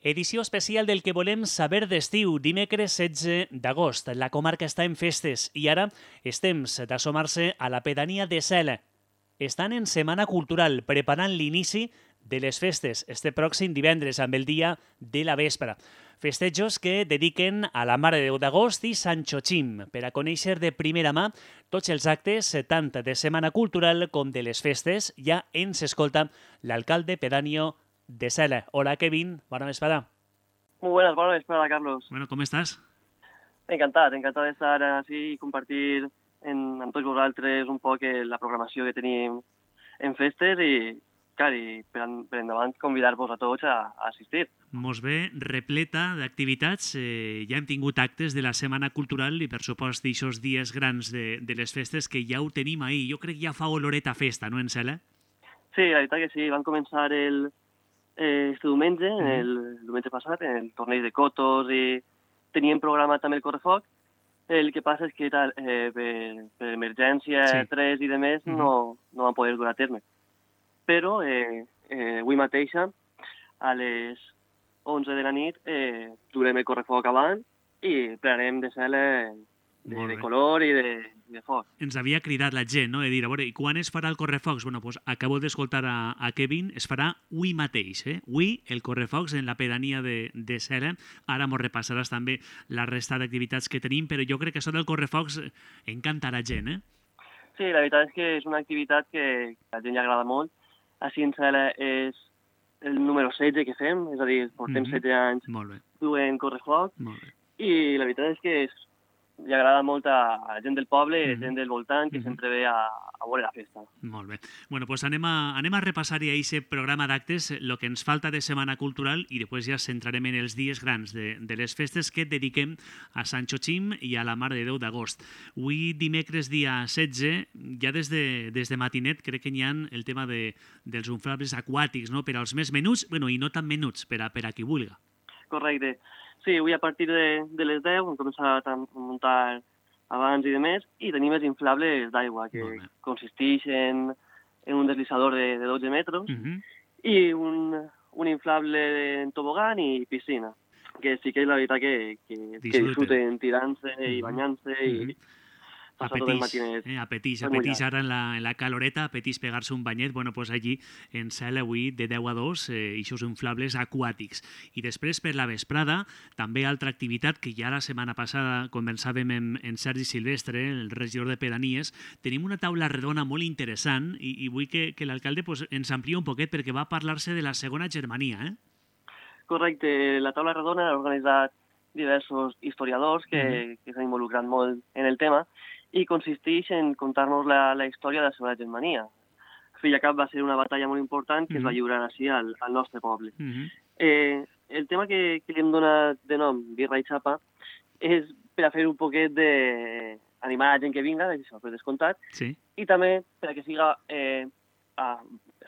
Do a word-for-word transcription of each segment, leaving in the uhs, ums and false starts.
Edició especial del que volem saber d'estiu, dimecres setze d'agost. La comarca està en festes i ara és temps d'assomar-se a la pedania de Sela. Estan en Setmana Cultural, preparant l'inici de les festes este pròxim divendres amb el dia de la vespra. Festejos que dediquen a la Mare de Déu d'Agost i Sant Xochim per a conèixer de primera mà tots els actes, tant de Setmana Cultural com de les festes. Ja ens escolta l'alcalde pedáneo de Sela. Hola, Kevin. Bona vesprada. Muy buenas, bona vesprada, Carlos. Bueno, ¿cómo estás? Encantat, encantat d'estar així i compartir en, amb tots vosaltres un poc la programació que tenim en festes i, clar, i per, per endavant convidar-vos a tots a, a assistir. Mos ve repleta d'activitats. Eh, ja hem tingut actes de la Setmana Cultural i, per supost, d'aixòs dies grans de, de les festes que ja ho tenim ahir. Jo crec que ja fa oloreta festa, no, en Sela? Sí, la veritat que sí. Van començar el, eh, este diumenge, mm. el, el diumenge passat, en el torneig de cotos i teníem programat també el correfoc. El que passa és que tal, eh, per, per emergència, sí. tres i de més, mm. no, no van poder dur a terme. Però eh, eh, avui mateixa, a les onze de la nit, eh, durem el correfoc avant i plenarem de Sela de, de color i de, de foc. Ens havia cridat la gent, no?, de dir, a veure, i quan es farà el correfocs? Bueno, pues acabo d'escoltar a, a Kevin, es farà avui mateix, eh? Avui el correfocs en la pedania de, de Sela. Ara mos repassaràs també la resta d'activitats que tenim, però jo crec que això del correfocs encanta la gent, eh? Sí, la veritat és que és una activitat que a la gent li agrada molt. Així en Sela és el número setze que fem, és a dir, portem mm-hmm. setze anys duent correfoc, i la veritat és que és, li agrada molt a, a la gent del poble, a la mm-hmm. gent del voltant, que mm-hmm. sempre ve a, a veure la festa. Molt bé. Bueno, doncs anem a, anem a repassar ja aquest programa d'actes, el que ens falta de Setmana Cultural, i després ja centrarem en els dies grans de, de les festes que dediquem a Sant Xochim i a la Mare de Déu d'Agost. Avui, dimecres, dia setze, ja des de, des de matinet crec que n'hi ha el tema de, dels inflables aquàtics, no?, per als més menuts, bueno, i no tan menuts, per a, per a qui vulga. Correcte. Sí, avui a partir de, de les deu hem començat a muntar abans i de més, i tenim els inflables d'aigua, que consisteix en, en un deslizador de, de dotze metres uh-huh. i un, un inflable en tobogan i piscina, que sí que és la veritat que, que, que disfruten tirant-se uh-huh. i banyant-se uh-huh. i passar tot el matinet. Eh, apeteix, apeteix ara en la, en la caloreta, apeteix pegar-se un banyet. Bueno, doncs allí en Sela avui de deu a dos, eh, eixos inflables aquàtics. I després per la vesprada, també altra activitat que ja la setmana passada conversàvem en, en Sergi Silvestre, el regidor de pedanies, tenim una taula redona molt interessant i, i vull que, que l'alcalde pues, ens amplia un poquet perquè va parlar-se de la segona Germania. Eh? Correcte, la taula redona ha organitzat diversos historiadors que, mm-hmm. que s'han involucrat molt en el tema, i consisteix en contar-nos la, la història de la Segona Germania. Filla Cap va ser una batalla molt important que mm-hmm. es va lliurar així al, al nostre poble. Mm-hmm. eh, el tema que, que li hem donat de nom, Birra i Xapa, és per a fer un poquet de... animar la gent que vinga, això per descomptat, sí. i també per a que siga... Eh, ah,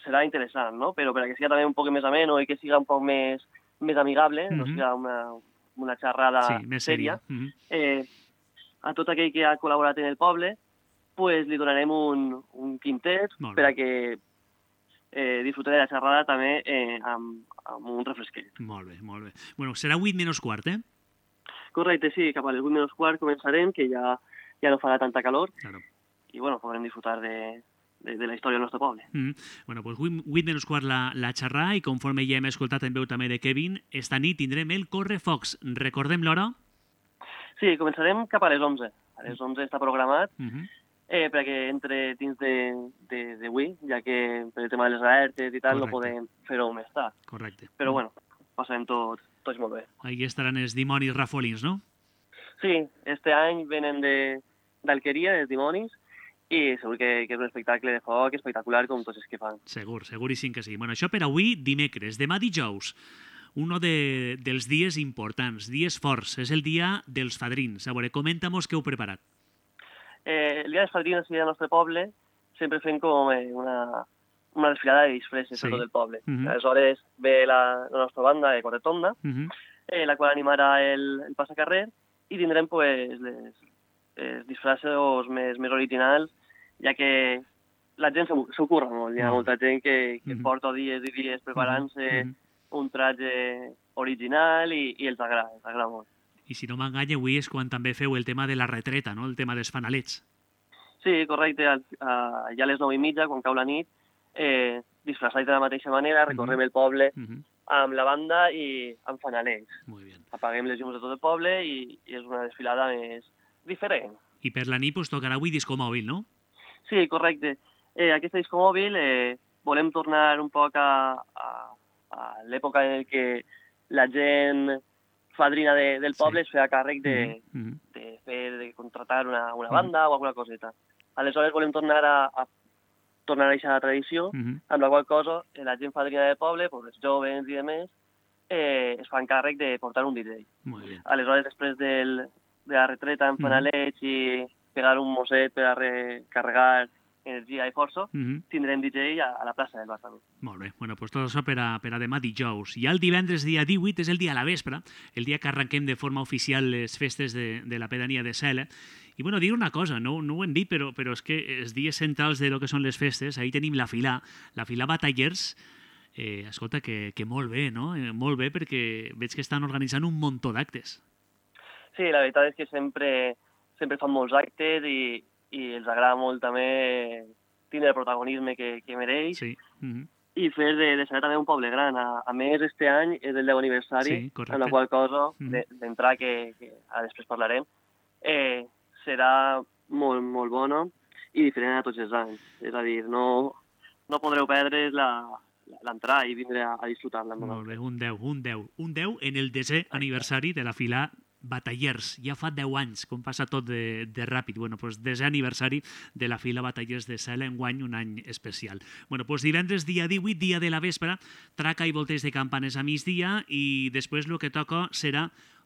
serà interessant, no? Però per a que siga també un poc més ameno i que siga un poc més, més amigable, mm-hmm. no siga una, una xerrada sí, més sèria. Mm-hmm. eh, a tot aquell que ha col·laborat en el poble, pues, li donarem un, un quintet per a que eh, disfruti de la xerrada també eh, amb, amb un refresquet. Molt bé, molt bé. Bueno, serà vuit menys quart, eh? Correcte, sí, cap a les vuit menys quart començarem, que ja, ja no farà tanta calor, claro. I bueno, podrem disfrutar de, de, de la història del nostre poble. Mm. Bueno, pues vuit menys quart la, la xerrada, i conforme ja hem escoltat en veu també de Kevin, esta nit tindrem el correfocs. Recordem l'hora? Sí, començarem cap a les onze. A les onze està programat, uh-huh. eh, perquè entre dins d'avui, ja que per el tema de les alertes i tal, correcte. No podem fer-ho més tard. Correcte. Però bueno, passarem tot, tots molt bé. Ahí estaran els dimonis rafolins, no? Sí, este any venen d'Alqueria, els dimonis, i segur que, que és un espectacle de foc espectacular com tots els que fan. Segur, seguríssim que sí. Bueno, això per avui dimecres. Demà dijous, uno de, dels dies importants, dies forts, és el dia dels fadrins. A veure, comenta-mos què heu preparat. Eh, el dia dels fadrins al nostre poble sempre fem com eh, una, una desfilada de disfresses sí. a tot el poble. Uh-huh. Aleshores ve la, la nostra banda de Quartetonda, uh-huh. eh, la qual animarà el, el passacarrer, i tindrem pues, les, els disfressos més, més originals, ja que la gent s'ho curra molt. Hi ha molta gent que, que uh-huh. porta dies i dies preparant-se uh-huh. un traje original i, i els agrada, els agrada molt. I si no m'enganya, avui és quan també feu el tema de la retreta, no? El tema dels fanalets. Sí, correcte. Al, a, ja a les nou i mitja, quan cau la nit, eh, disfressats de la mateixa manera, recorrem uh-huh. el poble uh-huh. amb la banda i amb fanalets. Muy bien. Apaguem les llums de tot el poble i, i és una desfilada més diferent. I per la nit pues, tocarà avui disco mòbil, no? Sí, correcte. Eh, aquesta disco mòbil eh, volem tornar un poc a, a, a l'època en què la gent fadrina de, del poble sí. es feia càrrec de, mm-hmm. de, fer, de contratar una, una banda mm-hmm. o alguna coseta. Aleshores volem tornar a, a tornar a aquesta tradició, mm-hmm. amb la qual cosa la gent fadrina del poble, pues, els joves i demés, eh, es fan càrrec de portar un D J. Aleshores, després del, de la retreta en fanalets mm-hmm. i pegar un mosset per a recarregar energia i força, mm-hmm. tindrem D J a, a la plaça del Bar també. Molt bé, bueno, pues tot això per a, per a demà dijous. I el divendres, dia divuit, és el dia a la vespre, el dia que arrenquem de forma oficial les festes de, de la pedania de Sela. I bueno, dir una cosa, no, no ho hem dit, però, però és que els dies centrals de lo que són les festes, ahir tenim la fila, la fila Batallers, eh, escolta, que, que molt bé, no? Eh, molt bé, perquè veig que estan organitzant un muntó d'actes. Sí, la veritat és que sempre, sempre fan molts actes i i els agrada molt també tindre el protagonisme que, que mereix sí. mm-hmm. i fer de, de ser també un poble gran. A, a més, este any és el deu aniversari, sí, amb la qual cosa, mm-hmm. d'entrar, que, que ara després parlarem, eh, serà molt, molt bona i diferent a tots els anys. És a dir, no, no podreu perdre l'entrar i vindre a, a disfrutar-la. Molt bé, un deu, un deu. Un deu en el desè aniversari de la fila Batallers, ja fa deu anys, com passa tot de, de ràpid. Bueno, pues, desè aniversari de la fila Batallers de Sela, enguany un any especial. Bueno, pues, divendres, dia divuit, dia de la vespre, traca i volteig de campanes a migdia i després el que toca serà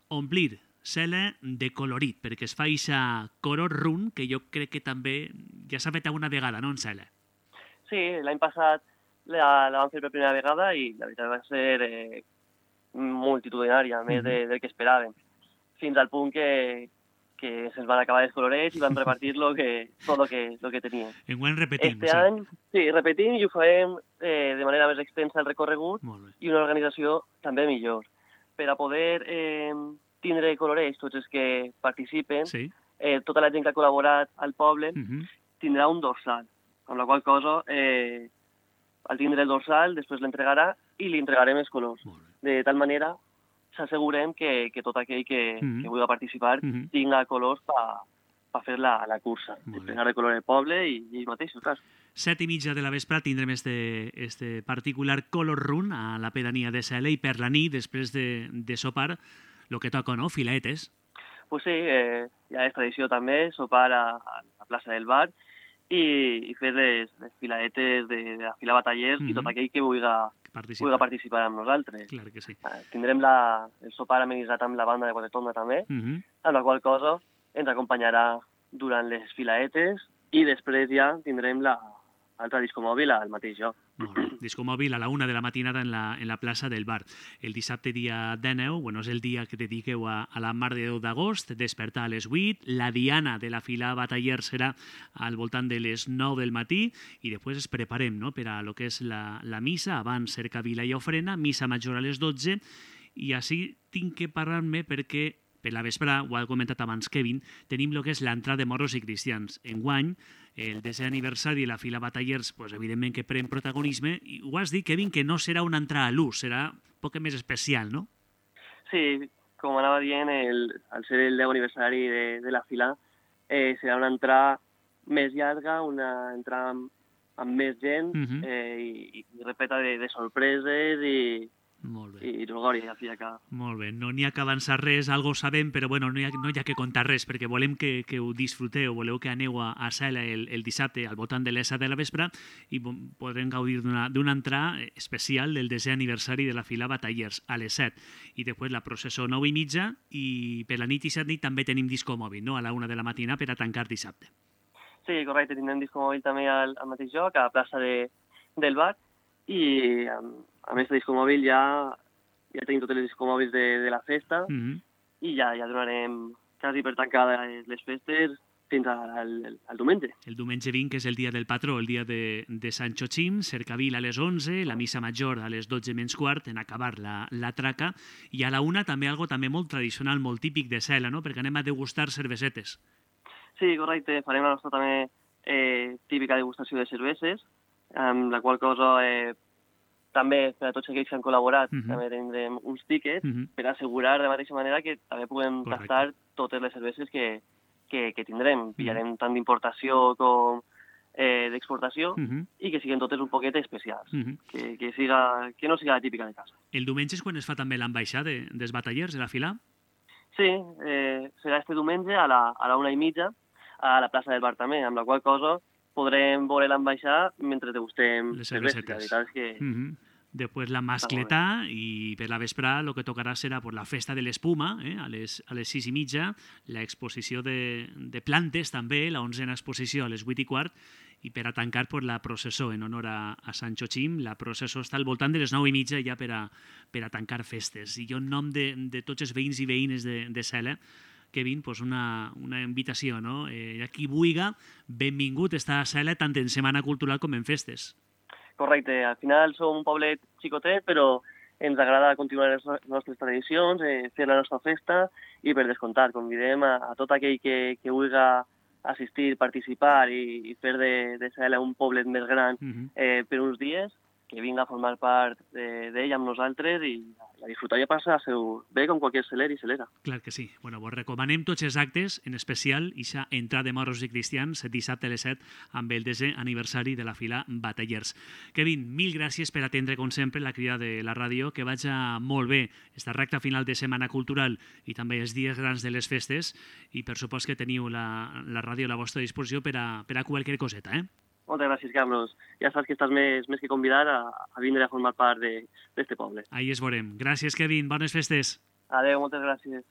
omplir Sela de colorit, perquè es fa eixa color run, que jo crec que també ja s'ha fet alguna vegada, no, en Sela? Sí, l'any passat la, la vam fer per primera vegada i la veritat va ser eh, multitudinària, més mm-hmm. de, del que esperàvem. Fins al punt que, que se'ns van acabar els colorets i van repartir lo que, tot el que, lo que tenien. Enguany repetim. Este any, sí, repetim i ho farem eh, de manera més extensa el recorregut i una organització també millor. Per a poder eh, tindre colorets, tots els que participen, sí. eh, tota la gent que ha col·laborat al poble, uh-huh. tindrà un dorsal, amb la qual cosa, eh, al tindre el dorsal, després l'entregarà i li entregarem els colors. De tal manera s'assegurem que, que tot aquell que, mm-hmm. que vulgui participar mm-hmm. tinga colors per pa fer la, la cursa. Desplegar de color del poble i, i mateixos, clar. Set i mitja de la vespre tindrem este, este particular color run a la pedania de Sela i per la nit, després de, de sopar, el que toca, no? Filetes. Pues sí, eh, ja és tradició també sopar a, a la plaça del bar i, i fer les, les filaetes de, de la fila Batallers mm-hmm. i tot aquell que vulgui Participa. participar amb nosaltres. Clar que sí. Eh, tindrem la, el sopar amenitzat amb la banda de Quatretonda també, uh-huh. amb la qual cosa ens acompanyarà durant les filaetes i després ja tindrem l'altre disco mòbil al mateix lloc. Molt bé. Disco mòbil a la una de la matinada en la, en la plaça del bar. El dissabte dia dinou, bueno, és el dia que dediqueu a, a la Mare de Déu d'agost, despertar a les vuit, la diana de la fila Bataller serà al voltant de les nou del matí i després es preparem, no?, per a lo que és la, la missa, abans cercavila i ofrena, missa major a les dotze i així tinc que parlar-me perquè per la vesprà, ho ha comentat abans Kevin, tenim el que és l'entrada de morros i cristians. Enguany, el desè aniversari de la fila Batallers, pues, evidentment que pren protagonisme, i ho has dit, Kevin, que no serà una entrada a l'ús, serà un poc més especial, no? Sí, com anava dient, el, al ser el deu aniversari de, de la fila, eh, serà una entrada més llarga, una entrada amb, amb més gent, uh-huh. eh, i, i repeta de, de sorpreses i... Molt bé. I Rogori, a fi acá. Molt bé, no n'hi ha que avançar res, algo sabem, però bueno, no hi ha, no hi ha que contar res, perquè volem que, que ho disfruteu, voleu que aneu a, a Sela el, el dissabte al voltant de les set de la vespre i podrem gaudir d'una entrada especial del desè aniversari de la fila Batallers a les set. I després la processó nou i mitja i per la nit i set nit també tenim disco mòbil, no?, a la una de la matina per a tancar dissabte. Sí, correcte, tindrem disco mòbil també al, al mateix lloc, a la plaça de, del bar, i a més de disco mòbil ja, ja tenim tots els disco mòbils de, de la festa mm-hmm. i ja, ja donarem quasi per tancar les festes fins al, al diumenge. El diumenge vint, que és el dia del patró, el dia de, de Sant Xochim, cercavil a les onze, la missa major a les dotze menys quart, en acabar la, la traca, i a la una també algo també molt tradicional, molt típic de Cela, no? Perquè anem a degustar cervesetes. Sí, correcte. Farem la nostra també eh, típica degustació de cerveses, amb la qual cosa eh, també per a tots aquells que han col·laborat uh -huh. també tindrem uns tíquets uh -huh. per assegurar de mateixa manera que també puguem Correcte. tastar totes les cerveses que, que, que tindrem. Pillarem uh -huh. tant d'importació com eh, d'exportació uh -huh. i que siguin totes un poquet especials, uh -huh. que, que, siga, que no siga la típica de casa. El diumenge és quan es fa també l'ambaixada de, dels batallers de la fila? Sí, eh, serà este diumenge a la, a la una i mitja a la plaça del Bar també, amb la qual cosa podrem veure l'ambaixada mentre degustem les cervesetes. La veritat és que... Uh -huh. Després la mascletà i per la vesprà el que tocarà serà pues, la festa de l'espuma, eh? a, les, a les sis i mitja, l'exposició de, de plantes també, la onzena exposició a les vuit i quart, i per a tancar pues, la processó en honor a, a Sant Xochim. La processó està al voltant de les nou i mitja ja per a, per a tancar festes. I jo en nom de, de tots els veïns i veïnes de, de Cela, Kevin, pues una, una invitació, no? Eh, a qui vulga, benvingut està a Cela tant en Setmana Cultural com en festes. Correcte, al final som un poblet xicotet, però ens agrada continuar les nostres tradicions, eh, fer la nostra festa i per descomptat convidem a, a tot aquell que, que vulgui assistir, participar i, i fer de, de Cela un poblet més gran uh-huh. eh, per uns dies, que vinga a formar part d'ell de, amb nosaltres i a disfrutar i a passar seu bé com qualsevol celer i celera. Clar que sí. Bueno, vos recomanem tots els actes, en especial ixa entrada de morros i cristians dissabte a les set amb el desè aniversari de la fila Batallers. Kevin, mil gràcies per atendre com sempre la crida de la ràdio, que vaja molt bé esta recta final de Setmana Cultural i també els dies grans de les festes, i per supost que teniu la, la ràdio a la vostra disposició per a, per a qualsevol coseta, eh? Moltes gràcies, Carlos. Ja saps que estàs més, més que convidat a, a vindre a formar part d'aquest poble. Ahí es veurem. Gràcies, Kevin. Bones festes. Adéu, moltes gràcies.